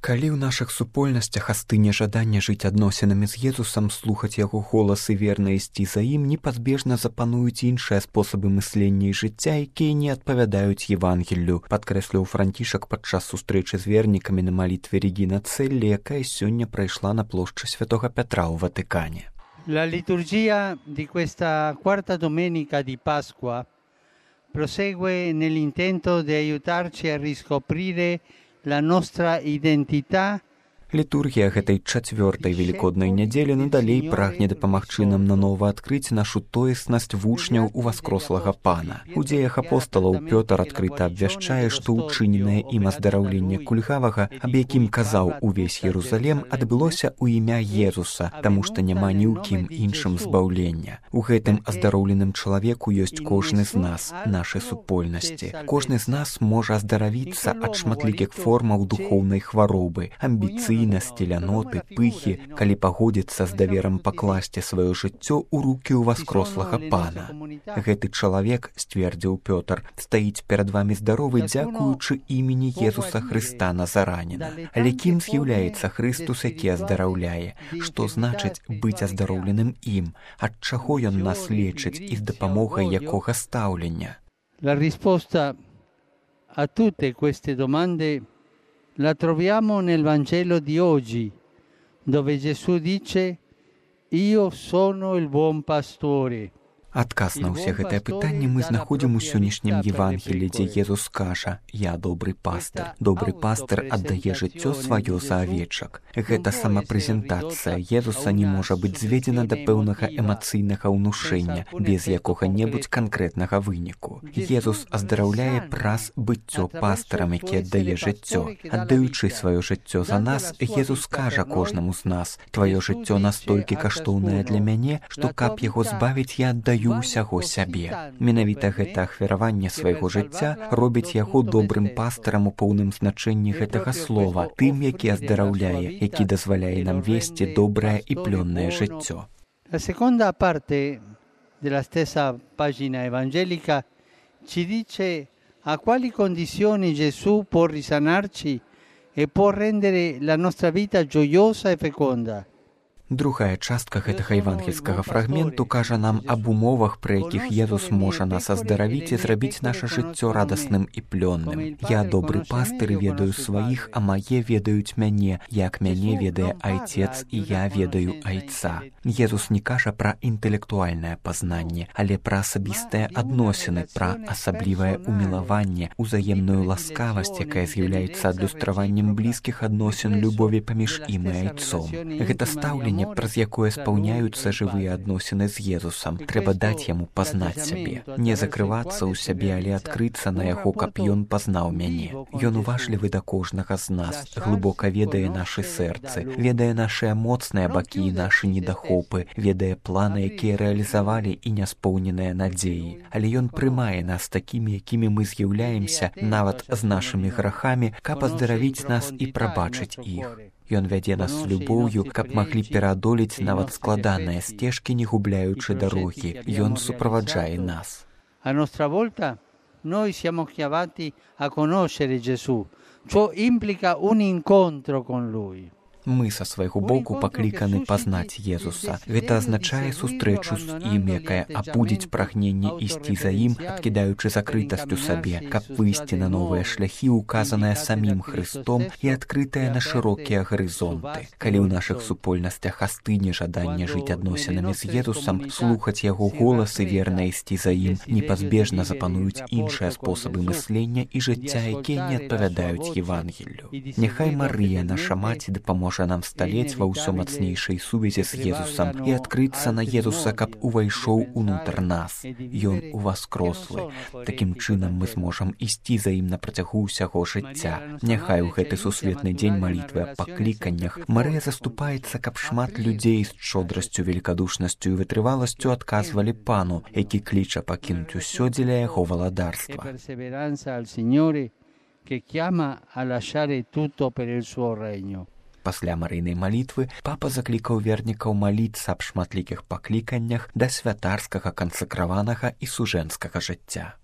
Калі ў нашых супольнасцях астыне жаданне жыць адносінамі з Езусам, слухаць яго голас і верна ісці за ім, непазбежна запануюць іншыя спосабы мыслення і жыцця, якія не адпавядаюць Евангеллю, падкрэсліў Францішак падчас сустрэчы з вернікамі на малітве Регіна Целлі, якая сёння прайшла на плошчы Святого Петра ў Ватыкане. La liturgia di questa quarta domenica di Pasqua prosegue nell'intento di aiutarci a riscoprire la nostra identità. Літургія гэтай чацвёртай велікоднай нядзелі надалей прагне дапамагчы нам нанова адкрыць нашу тоеснасць вучняў уваскрослага Пана. У дзеях апосталаў Пётр адкрыта абвяшчае, што ўчыненае ім аздараўленне кульгавага, аб якім казаў увесь Єрусалем, адбылося ў імя Езуса, таму што няма ні ў кім іншым збаўлення. У гэтым аздароўленым чалавеку ёсць кожны з нас, нашы супольнасці. Кожны з нас можа аздаравіцца ад шматлікіх формаў духоўнай хваробы, амбіцыйнасці, ляноты, пыхі, калі пагодзіцца з даверам пакласці сваё жыццё ў рукі ўваскрослага Пана. Гэты чалавек, сцвердзіў Пётр, стаіць перад вамі здаровы дзякуючы імені Езуса Хрыста Назараніна. Але кім з'яўляецца Хрыстус, які аздараўляе? Што значыць быць аздароўленым ім? Ад чаго ён нас лечыць і з дапамогай якога стаўлення? La risposta a tutte queste domande la troviamo nel Vangelo di oggi, dove Gesù dice: Io sono il buon pastore. Адказ на ўсе гэтыя пытанні мы знаходзім у сённяшнім Евангелі, дзе Езус кажа: «Я добры пастыр». Добры пастыр аддае жыццё сваё за авечак. Гэта самапрэзентацыя Езуса не можа быць зведзена да пэўнага эмацыйнага ўнушэння, без якога-небудзь канкрэтнага выніку. Езус аздараўляе праз быццё пастырам, які аддае жыццё. Аддаючы сваё жыццё за нас, Езус кажа кожнаму з нас: «Тваё жыццё настолькі каштоўнае для мяне, што каб яго збавіць, я аддаю ўсяго сябе». Менавіта гэта ахвяраванне свайго жыцця робіць яго добрым пастырам у поўным значэнні гэтага слова, тым, які аздараўляе, які дазваляе нам весці добрае і плённае жыццё. La seconda parte della stessa pagina evangelica ci dice a quali condizioni Gesù può risanarci e può rendere la nostra vita gioiosa e feconda. Другая частка гэтага евангельскага фрагменту кажа нам аб умовах, пры якіх Езус можа нас аздаравіць і зрабіць наша жыццё радасным і плённым. «Я добры пастыр і ведаю сваіх, а мае ведаюць мяне, як мяне ведае Айцец, і я ведаю Айца». Езус не кажа пра інтэлектуальнае пазнанне, але пра асабістыя адносіны, пра асаблівае умілаванне, узаемную ласкавасць, якая з'яўляецца адлюстраваннем блізкіх адносін любові паміж ім і Айцом. Гэта стаўленне, праз якое спаўняюцца жывыя адносіны з Езусам. Трэба даць яму пазнаць сябе. Не закрывацца ў сябе, але адкрыцца на яго, каб ён пазнаў мяне. Ён уважлівы да кожнага з нас, глыбока ведае нашы сэрцы, ведае нашыя моцныя бакі і нашы недахопы, ведае планы, якія рэалізавалі і няспоўненыя надзеі. Але ён прымае нас такімі, якімі мы з'яўляемся, нават з нашымі грахамі, каб аздаравіць нас і прабачыць іх. Ён вядзе нас з любоўю, каб маглі пераадолець нават складаныя сцежкі, не губляючы дарогі. Ён суправаджае нас. A nostra volta noi siamo chiamati a conoscere Gesù. Ciò implica un incontro con Lui. Мы са свайго боку пакліканы пазнаць Езуса. Гэта азначае сустрэчу з ім, якая абудзіць прагненне ісці за ім, адкідаючы закрытасць у сабе, каб выйсці на новыя шляхі, указаныя самім Хрыстом і адкрытыя на шырокія гарызонты. Калі ў нашых супольнасцях астыне жаданне жыць адносінамі з Езусам, слухаць яго голас і верна ісці за ім, непазбежна запануюць іншыя спосабы мыслення і жыцця, якія не адпавядаюць Евангеллю. Няхай Марыя, наша маці, дапаможа нам сталець ва ўсё мацнейшай сувязі з Езусам і адкрыцца на Езуса, каб увайшоў унутр нас. Ён уваскрослы. Такім чынам мы зможам ісці за ім на працягу ўсяго жыцця. Няхай у гэты сусветны дзень малітвы аб пакліканнях Марыя заступаецца, каб шмат людзей з шчодрасцю, великадушнасцю і вытрываласцю адказвалі Пану, які кліча пакінуць усё дзеля яго валадарства. Пасля марыйнай малітвы папа заклікаў вернікаў маліцца аб шматлікіх пакліканнях да святарскага, кансакраванага і сужэнскага жыцця.